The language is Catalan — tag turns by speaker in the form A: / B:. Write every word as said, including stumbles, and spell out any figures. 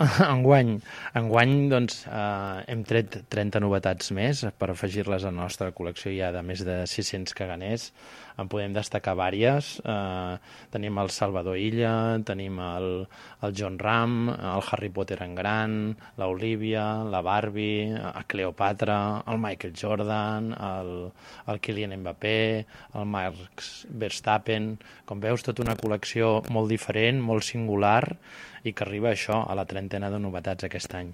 A: Enguany, enguany doncs, eh, hem tret trenta novetats més per afegir-les a la nostra col·lecció ja de més de sis-cents caganers. En podem destacar vàries. Eh, tenim el Salvador Illa, tenim el, el John Ram, el Harry Potter en gran, l'Olivia, la Barbie, a Cleopatra, el Michael Jordan, el, el Kylian Mbappé, el Max Verstappen. Com veus, tota una col·lecció molt diferent, molt singular, i que arriba a això, a la trentena de novetats aquest any.